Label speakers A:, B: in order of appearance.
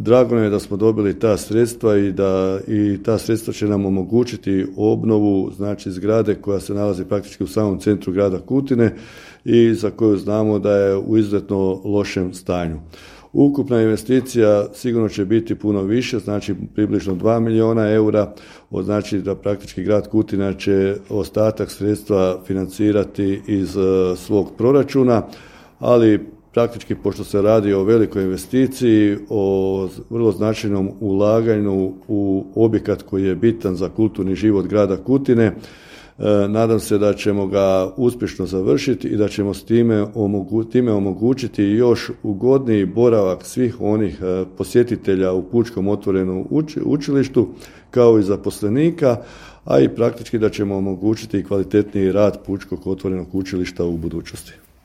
A: Drago nam je da smo dobili ta sredstva i ta sredstva će nam omogućiti obnovu, znači zgrade koja se nalazi praktički u samom centru grada Kutine i za koju znamo da je u izuzetno lošem stanju. Ukupna investicija sigurno će biti puno više, znači približno 2 milijuna eura, znači da praktički grad Kutina će ostatak sredstva financirati iz svog proračuna, ali praktički pošto se radi o velikoj investiciji, o vrlo značajnom ulaganju u objekat koji je bitan za kulturni život grada Kutine, nadam se da ćemo ga uspješno završiti i da ćemo s time omogućiti još ugodniji boravak svih onih posjetitelja u Pučkom otvorenom učilištu kao i zaposlenika, a i praktički da ćemo omogućiti kvalitetniji rad Pučkog otvorenog učilišta u budućnosti.